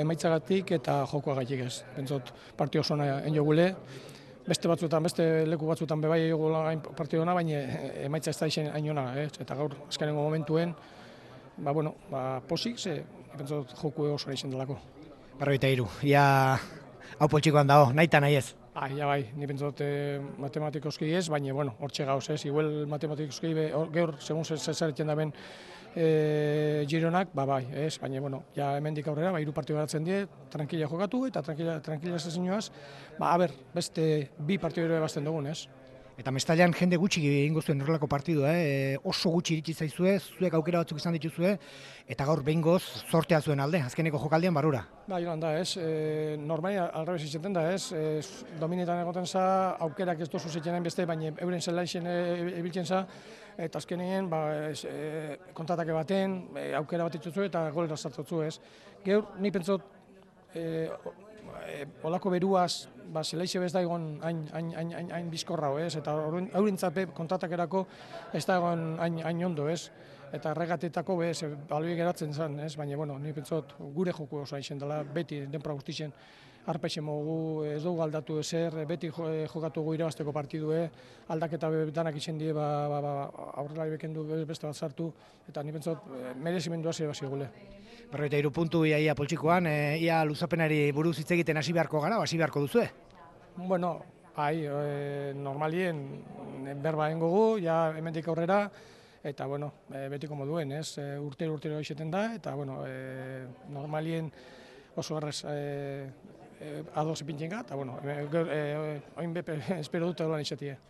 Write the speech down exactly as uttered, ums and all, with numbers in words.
Emaitzagatik eta jokoagatik ez. Pentsot partio oso ona enjogule, beste batzuetan, beste leku batzuetan bebai egula partio ona, baina emaitza ez da izen hain ona, eh? Eta gaur azkenengo momentuen, ba bueno, ba posik ze pentsot joku oso izen delako. Berrogeita hiru, ia hau poltsikoan dago, nahi eta nahi ez. Bai, ja bai, ni pentsot eh, matematikoski ez, baina bueno, hortxe gauz, ez? Igual matematikoski be, gaur segun zer zer da ben E, Gironak, ba bai, ez, baina, bueno, ja hemendik aurrera, ba, hiru partio garatzen die, tranquila jokatu eta tranquila, tranquila zezinoaz, ba, a ber, beste bi partio ere bazten dugun, ez. Eta Mestaldean jende gutxi egingo zuen horrelako partidua, eh? oso gutxi iritsi zaizue, zuek aukera batzuk izan dituzue, eta gaur behingoz zortea zuen alde, azkeneko jokaldian barura. Ba, joan da, ez, e, normali alrebez izaten da, ez, e, dominetan egoten za, aukerak ez dozu zeitenen beste, baina euren zelaixen ebiltzen za, eta azkenien, ba, ez, e, kontatake baten, e, aukera bat itzuzu eta golera sartzotzu, ez. Geur, ni pentsot, e, e, olako beruaz, ba, zelaixe bez da egon hain, hain, hain, hain, hain bizkorra, ez, eta eurintzape kontratakerako ez da egon hain, hain ondo, ez. Eta regatetako bez, baloi geratzen zen, ez? Baina, bueno, ni pentsot gure joku oso hain dela, beti denpora guztien arpeixen mogu, ez dugu aldatu ezer, beti jokatu gu irabazteko partidue, aldaketa danak izan die, ba, ba, ba, aurrelari bekendu beste bat sartu, eta ni pentsot merezimendua zer basi gule. Berrogeita hiru puntu ia, ia poltsikoan, e, ia luzapenari buruz hitz egiten hasi beharko gara, hasi beharko duzue? Bueno, bai, e, normalien berba engogu, ja hemendik aurrera, eta, bueno, e, betiko moduen, ez, e, urtero urtero izeten da, eta, bueno, e, normalien oso errez e, e, ados ipintzen ga, eta, bueno, e, e, oin bepe espero dut edolan izatie.